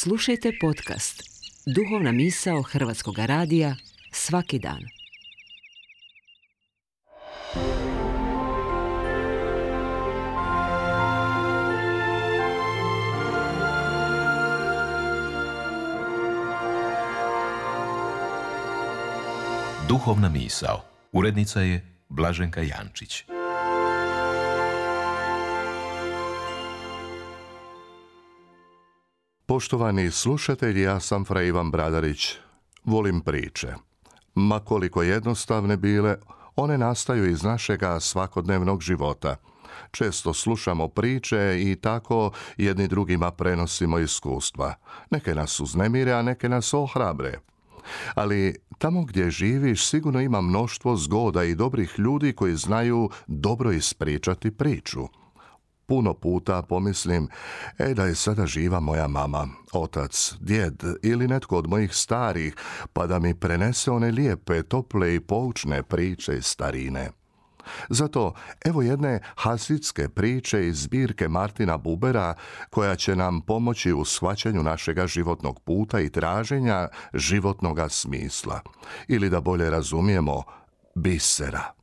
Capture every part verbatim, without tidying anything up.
Slušajte podcast Duhovna misao Hrvatskog radija svaki dan. Duhovna misao. Urednica je Blaženka Jančić. Poštovani slušatelji, ja sam fra Ivan Bradarić. Volim priče. Ma koliko jednostavne bile, one nastaju iz našega svakodnevnog života. Često slušamo priče i tako jedni drugima prenosimo iskustva. Neke nas uznemire, a neke nas ohrabre. Ali tamo gdje živiš sigurno ima mnoštvo zgoda i dobrih ljudi koji znaju dobro ispričati priču. Puno puta pomislim, e da je sada živa moja mama, otac, djed ili netko od mojih starih, pa da mi prenese one lijepe, tople i poučne priče iz starine. Zato evo jedne hasidske priče iz zbirke Martina Bubera koja će nam pomoći u shvaćanju našega životnog puta i traženja životnoga smisla. Ili da bolje razumijemo, bisera.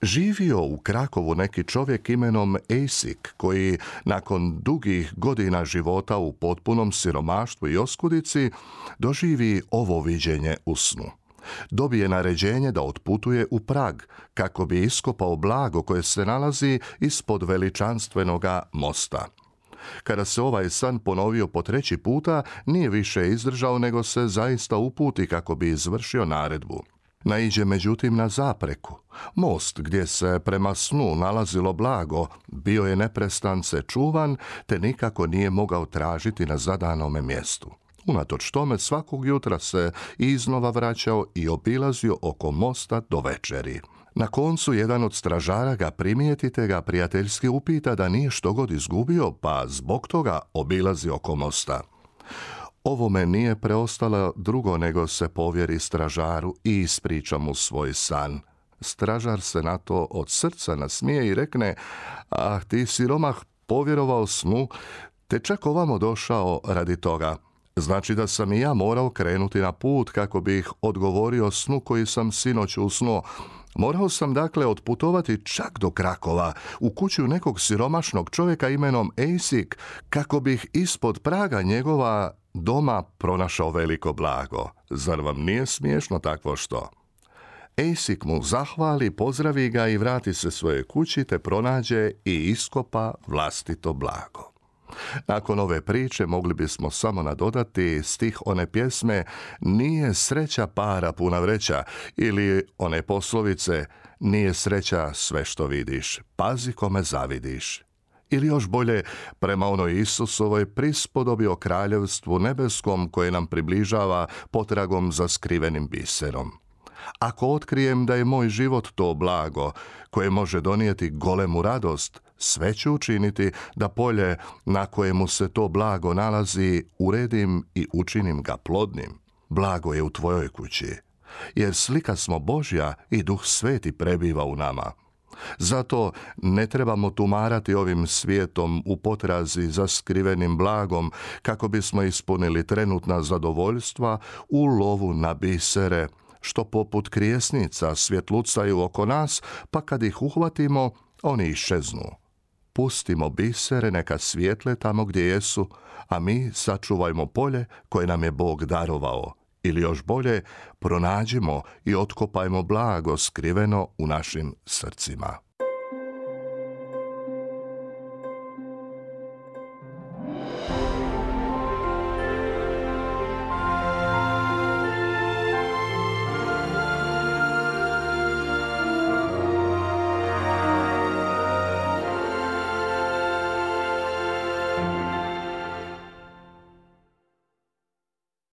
Živio u Krakovu neki čovjek imenom Ejsik, koji nakon dugih godina života u potpunom siromaštvu i oskudici doživi ovo viđenje u snu. Dobije naređenje da otputuje u Prag kako bi iskopao blago koje se nalazi ispod veličanstvenoga mosta. Kada se ovaj san ponovio po treći puta, nije više izdržao nego se zaista uputi kako bi izvršio naredbu. Naiđe međutim na zapreku. Most gdje se prema snu nalazilo blago bio je neprestance čuvan te nikako nije mogao tražiti na zadanome mjestu. Unatoč tome svakog jutra se iznova vraćao i obilazio oko mosta do večeri. Na koncu jedan od stražara ga primijeti te ga prijateljski upita da nije štogod izgubio, pa zbog toga obilazi oko mosta. Ovome nije preostalo drugo nego se povjeri stražaru i ispriča mu svoj san. Stražar se na to od srca nasmije i rekne, ah, ti siromah povjerovao snu, te čak ovamo došao radi toga. Znači da sam i ja morao krenuti na put kako bih odgovorio snu koji sam sinoć usnuo. Morao sam dakle otputovati čak do Krakova, u kuću nekog siromašnog čovjeka imenom Ejsik, kako bih ispod praga njegova doma pronašao veliko blago. Zar vam nije smiješno takvo što? Ejsik mu zahvali, pozdravi ga i vrati se svoje kući te pronađe i iskopa vlastito blago. Nakon ove priče mogli bismo samo nadodati stih one pjesme Nije sreća para puna vreća ili one poslovice Nije sreća sve što vidiš, pazi kome zavidiš. Ili još bolje, prema onoj Isusovoj prispodobi o kraljevstvu nebeskom koje nam približava potragom za skrivenim biserom. Ako otkrijem da je moj život to blago koje može donijeti golemu radost, sve ću učiniti da polje na kojemu se to blago nalazi uredim i učinim ga plodnim. Blago je u tvojoj kući, jer slika smo Božja i Duh Sveti prebiva u nama. Zato ne trebamo tumarati ovim svijetom u potrazi za skrivenim blagom kako bismo ispunili trenutna zadovoljstva u lovu na bisere, što poput krijesnica svjetlucaju oko nas, pa kad ih uhvatimo, oni iščeznu. Pustimo bisere neka svijetle tamo gdje jesu, a mi sačuvajmo polje koje nam je Bog darovao. Ili još bolje, pronađimo i otkopajmo blago skriveno u našim srcima.